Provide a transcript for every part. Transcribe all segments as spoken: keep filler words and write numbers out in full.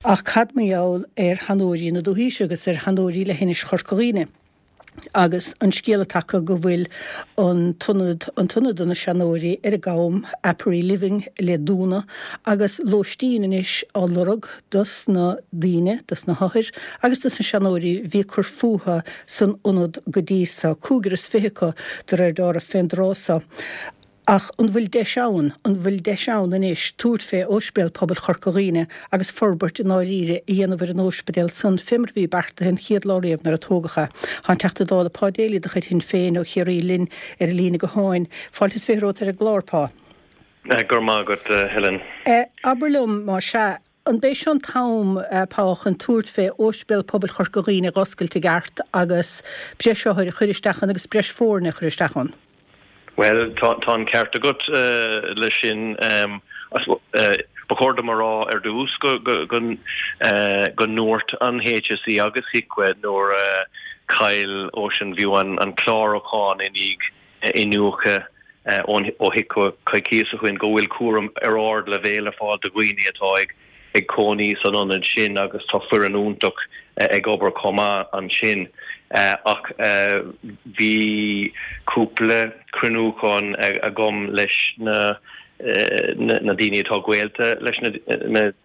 Ach cad mar gheall ar sheanóirí na dúthaí agus ar sheanóirí leithinis Chorca Dhuibhne? Agus an scéal atá acu go bhfuil an t-ionad an t-ionad do na seanóirí ar an gCam, Aperee Living, le dúnadh agus lóistín anois á lorg dos na daoine, dos na hothair agus dos na seanóirí bhí ag cur fúthu san ionad go dtí so, cúigear is fiche acu de réir dealraimh fén dtráth so. Ach an bhfuil deis ann, an bhfuil deis ann anois tabhairt fé Ospidéal Pobail Chorca Dhuibhne agus forbairt i ndáiríre a dhéanamh ar an ospidéal san fé mar a bhí beartaithe an chéad lá riamh nuair a tógadh é. Tá an Teachta Dála Pa Daly de chuid Shinn Féin ó Chiarraí linn ar an líne gutháin. Fáilte is fiche romhat ar an gclár, Pa. Go raibh maith agat, Helen. Abair liom, más ea, an b'é seo an t-am, Pa, chun tabhairt fé Ospidéal Pobail Chorca Dhuibhne a dh'oscailt i gceart agus breis othar a chur isteach ann agus breis foirne a chur isteach ann? Bhuel, tá an ceart agat leis sin. Ba chóir dom a rá ar dtús go ndúirt an HSE agus HIQA nuair a chaill Ocean View an clárúchán i ndiaidh iniúchadh ó HIQA coicíos ó shin go bhfuil cúram ar ardleibhéal ar fáil do dhaoine atá ag ag cónaí san ionad sin agus tá foireann iontach ag obair chomh maith ansin. Ach bhí cúpla cruinniúchán agam leis na na daoine atá gaolta leis na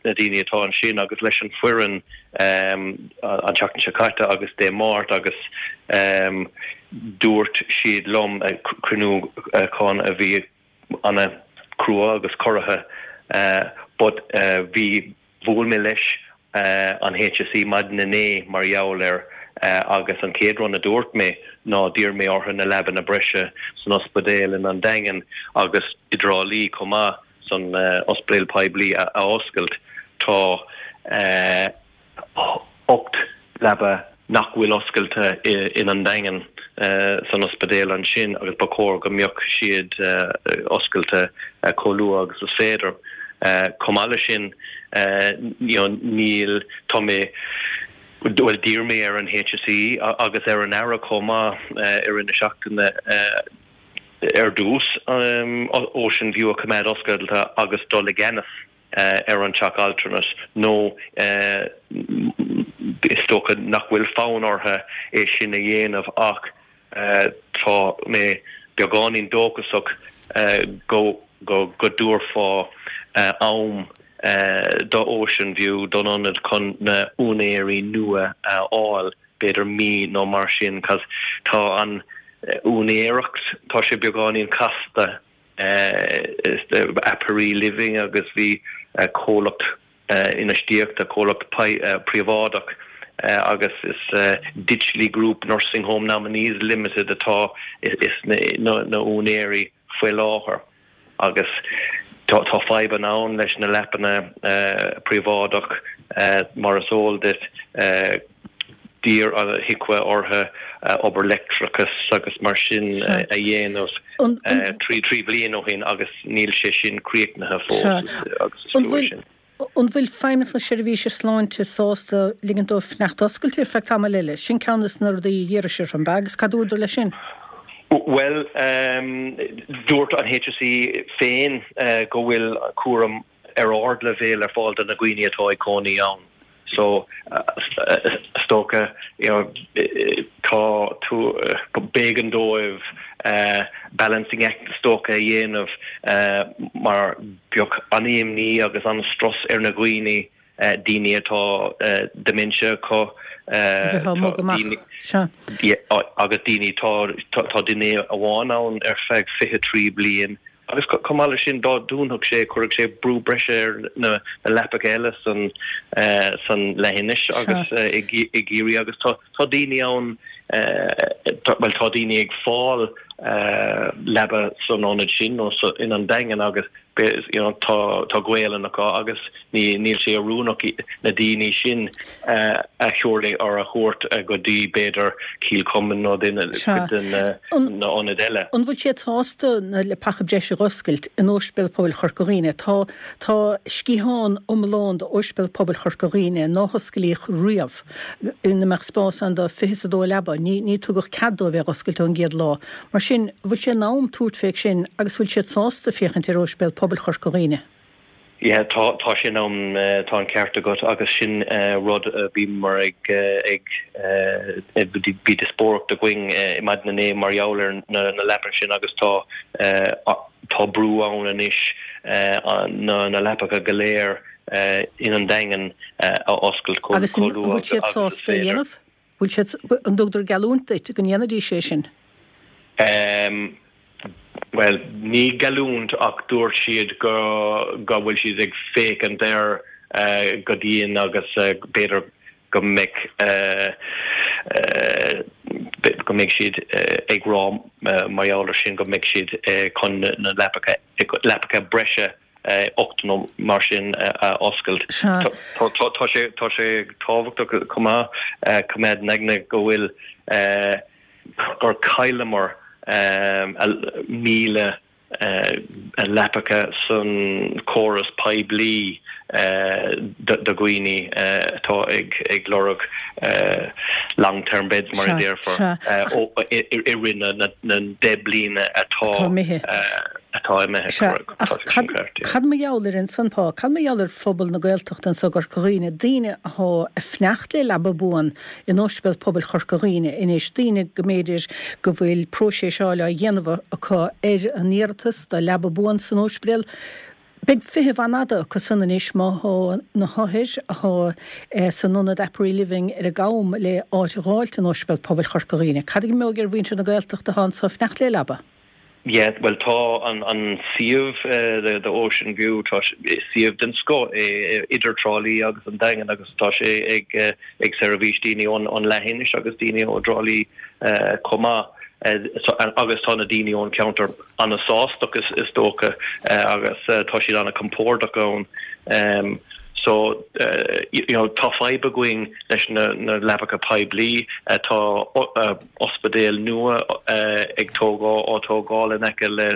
daoine atá ansin agus leis an foireann an tseachtain seo caite agus Dé Máirt agus dúirt siad liom, cruinniúchán a bhí ana crua agus corraithe but bhí bhuail mé leis an HSE maidin inné mar gheall air agus an chéad rud a dúirt mé ná d'iarr mé orthu na leabanna breise san ospidéal in An Daingean agus i dTrá Lí chomh maith san ospidéal poiblí a oscailt. Tá ocht leaba nach bhfuil oscailte in An Daingean san ospidéal ansin agus ba chóir go mbeadh siad oscailte chomh luath agus is féidir. Chomh maith leis sin, níl, tá mé, bhuel d'iarr mé ar an HSE agus ar an Aire chomh maith i rith na seachtaine ar dtús Ocean View a choimeád oscailte agus dul i gceannas ar an teach altranais nó is dócha nach bhfuil fonn orthu é sin a dhéanamh ach tá mé beagáinín dóchasach go go dtabharfá am do Ocean View, don ionad chun na úinéirí nua a fháil, b'fhéidir mí nó mar sin, 'cause tá an úinéireacht, tá sé beagáinín casta. Aperee Living agus bhí comhlacht infheistíochta, comhlacht príobháideach agus is Ditchley Group Nursing Home Nominees Limited atá is na úinéirí faoi láthair agus tá fadhbanna ann leis na leapanna príobháideach mar is eol duit. D'iarr an HIQA orthu obair leictreachais agus mar sin a dhéanamh trí trí bliana ó shin agus níl sé sin críochnaithe fós agus is trua sin. An bhfuil Feidhmeannacht na Seirbhíse Sláinte sásta ligint dóibh fanacht oscailte ar feadh tamaill eile? Sin ceann de na rudaí a d'iarrais orthu, an b'ea? Agus cad dúradar leis sin? Bhuel, dúirt an HSE féin go bhfuil cúram ar ardleibhéal ar fáil do na dhaoine atá ag cónaí ann. So, is dócha, you know, tá tú, b'éigean dóibh balancing act is dócha a dhéanamh mar bheadh an-imní agus an-strus ar na dhaoine, daoine atá dementia acu, Bheifeá ag mogadh amach, sea. agus daoine, tá, tá duine amháin ann ar feadh fiche trí bliain Agus chomh maith leis sin, dá dúnfadh sé, chuirfeadh sé brú breise ar na leapacha eile san san leithinis agus i gCiarraí agus tá tá daoine ann, bhuel tá daoine ag fáil leaba san ionad sin nó in An Daingean agus you know tá tá Gaolainn acu agus ní níl sé oiriúnach na daoine sin a thuirling or a thabhairt go dtí b'fhéidir Cill Chomáin nó duine Sea. cuid de na An na ionaid eile. An bhfuil siad sásta na leapacha breise a dh'oscailt in Ospidéal Pobail Chorca Dhuibhne? Tá tá sciathán iomlán d'Ospidéal Pobail Chorca Dhuibhne ná hosclaíodh riamh ina mbeadh spás ann do fiche is a dó leaba. Ní ní tugadh cead dóibh é a dh'oscailt ón gcéad lá. Mar sin, bhfuil sé in am tabhairt fé sin agus bhfuil siad sásta féachaint ar Ospidéal Pobail Chorca Dhuibhne? Yeah, tá tá sin ann tá an ceart agat agus sin rud a bhíomar ag ag bhí díospóireacht againn i maidin inné mar gheall ar na na leapacha sin agus tá tá brú ann anois na na leapacha go léir in an Daingean a oscailt chomh luath agus an bhfuil siad sásta a dhéanamh? Bhfuil siad an dtugtar geallúint duit go ndéanfaidís é sin? Um, Well, ní geallúint ach dúirt siad go go bhfuil siad ag féachaint air uh, go dian agus uh, b'fhéidir go mbeidh uh, uh, go mbeidh siad uh, ag rá uh, mar gheall air sin go mbeidh siad uh, chun na leapacha leapacha breise uh, ocht nó mar sin uh, a oscailt. Tá sé tá sé tábhachtach chomh maith uh, coimeád in aigne go bhfuil uh, gur chailleamar um, míle uh, leapacha san córas poiblí uh, do dhaoine uh, atá ag ag lorg uh, long term beds mar a déarfá uh, i rith na na deich bliana atá atá imithe. Cad mar gheall ar ansan pá, cad mar gheall ar phobal na Gaeltachta anso i gCorca Dhuibhne, daoine atá ag fanacht le leaba buan in Ospidéal Pobail Chorca Dhuibhne anois, daoine go mb'fhéidir go bhfuil próiseas á dhéanamh acu ar an iarratas do leaba buan san ospidéal. Beidh feitheamh an-fhada acu san anois má thá na hothair athá san ionad Apparel Living ar an gCam le áit a dh'fháilt in Ospidéal Pobail Chorca Dhuibhne. Cad a imeoidh ar mhuintir na Gaeltachta atá anso ag fanacht le leaba? Yeah, well tá an an suíomh uh, the, the Ocean View tá suíomh den scoth é idir Trá Lí agus an Daingean agus tá sé ag uh, ag seirbhís daoine ón an leithinis agus daoine ó Trá Lí uh, chomh maith. Uh, so, agus tá na daoine ón ceantar an-sásta is, is dócha uh, agus uh, tá siad an-chompordach ann. Um, so uh, you know, tá fadhb againn leis na, na leapacha poiblí uh, tá uh, ospidéal nua uh, ag tógáil á tógáil in aice le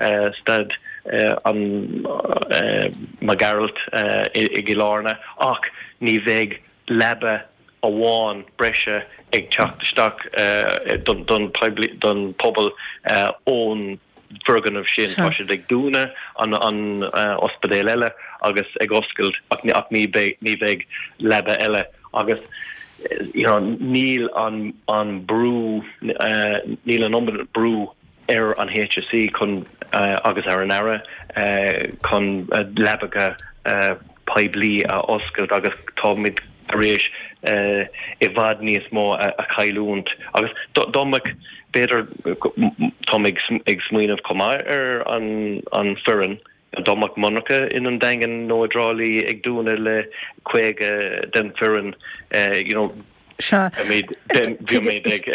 uh, staid uh, an uh, Mac Gearailt uh, i, i gCill Airne ach ní bheidh leaba amháin breise ag teacht isteach uh, don, don, poiblí, don pobal uh, ón bhfoirgneamh sin tá siad ag dúnadh an an uh, ospidéal eile agus ag oscailt ach ní ach ní beidh ní bheidh leaba eile agus you know, níl an an brú uh, níl an iomad brú ar an HSE chun uh, agus ar an Aire uh, chun uh, leapacha uh, poiblí a oscailt agus táimid tar éis uh, i bhfad níos mó a, a chailliúint agus dá mbeadh b'fhéidir tá ag ag smaoineamh chomh maith ar an an foireann dá mbeadh monarcha in an Daingean nó i dTrá Lí ag dúnadh le caoga den foireann uh, you know Bhí mé ag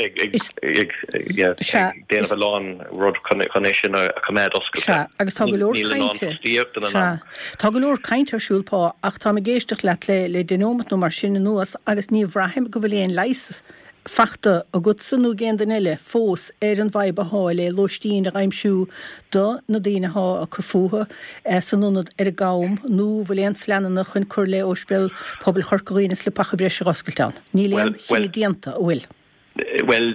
déanamh a lán rud chun é sin a choimeád oscailte. Agus tá go leor cainte. Tá go leor cainte ar siúl pá ach tá ag éisteacht leat le le deich nóiméad nó mar sin anuas agus ní bhraithim go bhfuil aon leigheas fachta agatsa nó ag aon duine eile fós ar an bhfadhb athá le lóistín a aimsiú do na daoine athá ag cur fúthu san ionad ar an gCam nó bhfuil aon phleananna chun cur le Ospidéal Pobail Chorca Dhuibhne is leapacha breise a oscailt ann. Níl aon chinneadh déanta, an bhfuil? Well,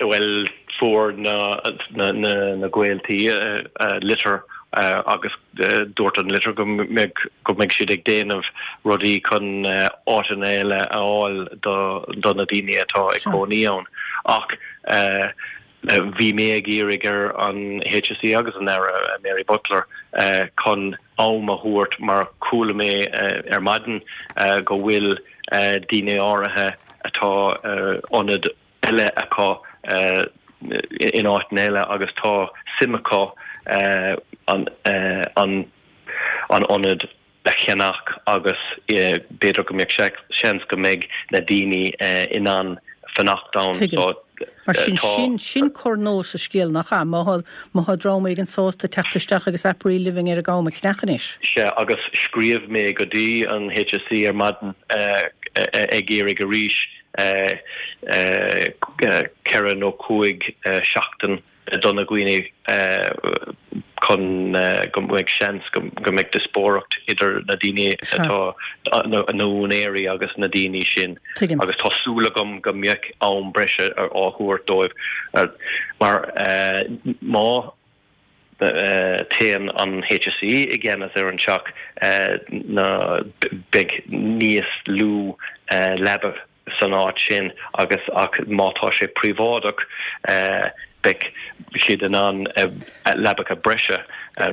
well fuair na na na na gaoltaí litir uh, agus uh, dúirt an litir go mbeidh go mbeidh siad ag déanamh rudaí chun uh, áiteanna eile a fháil do do na daoine atá ag cónaí ann ach uh, bhí mé ag iarraidh ar an HSE agus an Aire Mary Butler uh, chun am a thabhairt mar chuala mé uh, ar maidin uh, go bhfuil uh, daoine áirithe atá uh, ionad eile acu uh, in áit eile agus tá suim acu uh, an uh, an an ionad a cheannach agus uh, b'fhéidir go mbeidh seans go mbeidh na daoine uh, in ann fanacht ann so Mar sin sin sin cor nua sa scéal nach ea má má thá dream éigin sásta teacht isteach agus Apparel Living ar an gCam a cheannach anois. Sea agus scríobh mé go dtí an HSE ar maidin uh, ag iarraidh arís uh, uh, ceithre nó cúig uh, seachtain do na daoine chun go mbeidh seans go mbeidh díospóireacht idir na daoine atá na húinéirí agus na daoine sin agus tá súil agam go mbeidh am breise á thabhairt dóibh mar má Téann an H S E i gceannas ar an teach na beidh níos lú leaba san áit sin agus ach má tá sé príobháideach, beidh siad in ann leabacha breise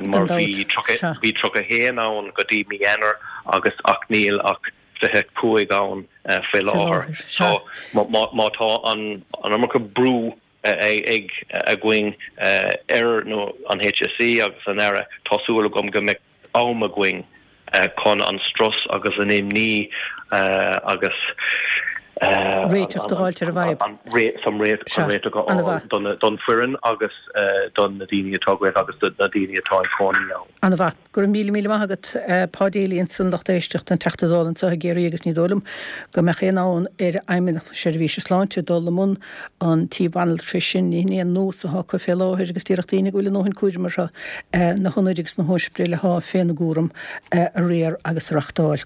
mar bhí bhí tríocha haon ann go dtí mí Eanáir agus ach níl ach fiche cúig ann faoi láthair. So má tá an an iomarca brú ag againn ar nó an H S E agus an Aire, tá súil agam go mbeidh am againn chun an strus agus an imní agus réiteach a fháilt ar an bhfadhb. Sam réiteach don foireann agus don na daoine atá gaolta agus na daoine atá ag cónaí ann. An-mhaith. Go raibh míle míle maith agat, Pa Daly, ansan, lucht éisteachta, an Teachta Dála anseo i gCiarraí, agus ní dóigh liom go mbeadh aon fhonn ar Fheidhmeannacht na Seirbhíse Sláinte dul i mbun an tí banaltrais sin. Ní hin é an nós atá acu fé láthair agus déarfadh daoine go bhfuil a ndóthain cúraim orthu na hionaid agus na hóispidéil atá féna gcúram a riar agus a reachtáil.